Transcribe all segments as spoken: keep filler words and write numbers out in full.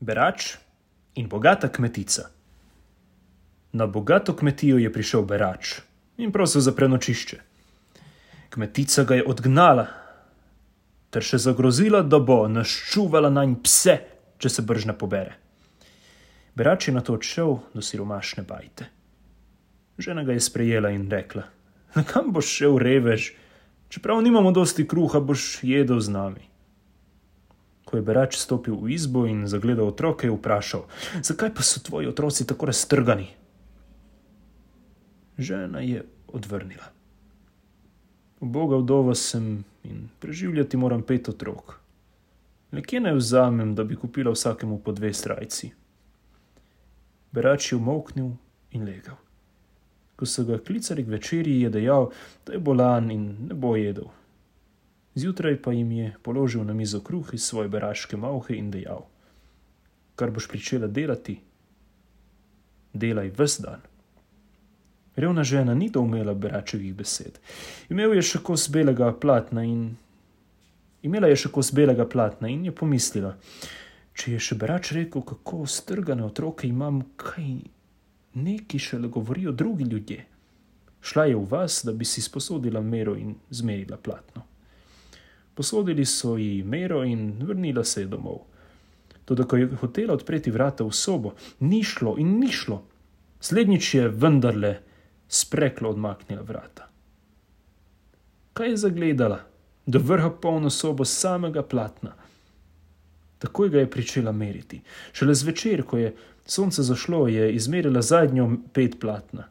Berač in bogata kmetica. Na bogato kmetijo je prišel berač in prosil za prenočišče. Kmetica ga je odgnala ter še zagrozila, da bo naščuvala nanj pse, če se brž ne pobere. Berač je nato odšel do siromašne bajte. Žena ga je sprejela in rekla: "Na kam boš šel, revež? Čeprav nimamo dosti kruha, boš jedel z nami." Ko je berač stopil v izbo in zagledal otroke, je vprašal: "Zakaj pa so tvoji otroci tako raztrgani?" Žena je odvrnila: "Uboga vdova sem in preživljati moram pet otrok. Le kje naj vzamem, da bi kupila vsakemu po dve srajci?" Berač je umolknil in legel. Ko so ga klicali k večerji, je dejal, da je bolan in ne bo jedel. Zjutraj pa jim je položil na mizo kruh iz svoje beraške malhe in dejal: "Kar boš pričela delati, delaj ves dan." Revna žena ni doumela beračevih besed. Imel je še kos belega platna in Imela je še kos belega platna in je pomislila: "Če je še berač rekel, kako strgane otroke imam, kaj neki šele govorijo drugi ljudje." Šla je v vas, da bi si sposodila mero in zmerila platno. Posodili so ji mero in vrnila se je domov. Toda ko je hotela odpreti vrata v sobo, ni šlo in ni šlo. Slednjič je vendarle spreklo odmaknila vrata. Kaj je zagledala? Do vrha polno sobo samega platna. Takoj ga je pričela meriti. Šele zvečer, ko je sonce zašlo, je izmerila zadnjo ped platna.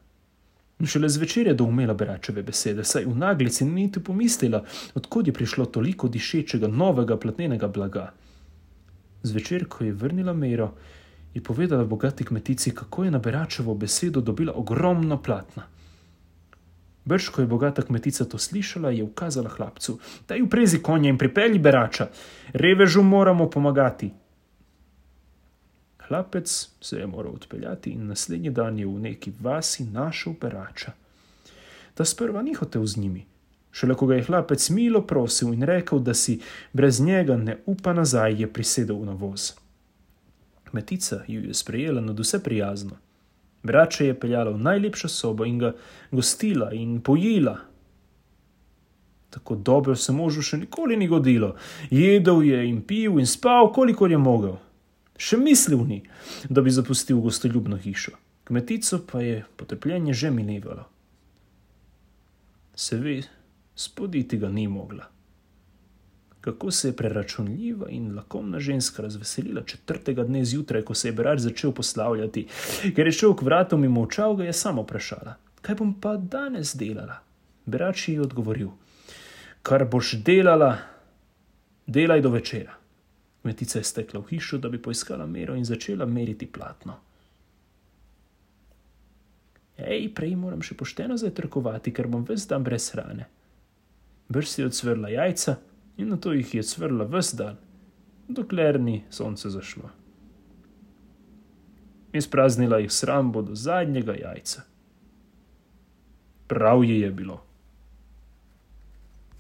Šele zvečer je doumela beračeve besede, saj v naglici ni niti pomislila, odkod je prišlo toliko dišečega novega platnenega blaga. Zvečer, ko je vrnila mero, je povedala bogati kmetici, kako je na beračevo besedo dobila ogromno platna. Brž, ko je bogata kmetica to slišala, je ukazala hlapcu: "Daj uprezi konja in pripelji berača. Revežu moramo pomagati." Hlapec se je moral odpeljati in naslednji dan je v neki vasi našel berača. Ta sprva ni hotel z njimi. Šele ko ga je hlapec milo prosil in rekel, da si brez njega ne upa nazaj, je prisedel na voz. Kmetica ju je sprejela nadvse prijazno. Berača je peljala v najlepšo sobo in ga gostila in pojila. Tako dobro se možu še nikoli ni godilo. Jedel je in pil in spal, kolikor je mogel. Še mislil ni, da bi zapustil gostoljubno hišo. Kmetico pa je potrpljenje že minevalo. Se ve, spoditi ga ni mogla. Kako se je preračunljiva in lakomna ženska razveselila četrtega dne zjutraj, ko se je berač začel poslavljati. Ker je šel k vratom in molčal, ga je samo vprašala: "Kaj bom pa danes delala?" Berač ji je odgovoril: "Kar boš delala, delaj do večera." Kmetica je stekla v hišo, da bi poiskala mero in začela meriti platno. "Ej, prej moram še pošteno zajtrkovati, ker bom ves dan brez hrane." Brž si je odsvrla jajca in nato jih je cvrla ves dan, dokler ni sonce zašlo. Izpraznila jih shrambo do zadnjega jajca. Prav ji je bilo.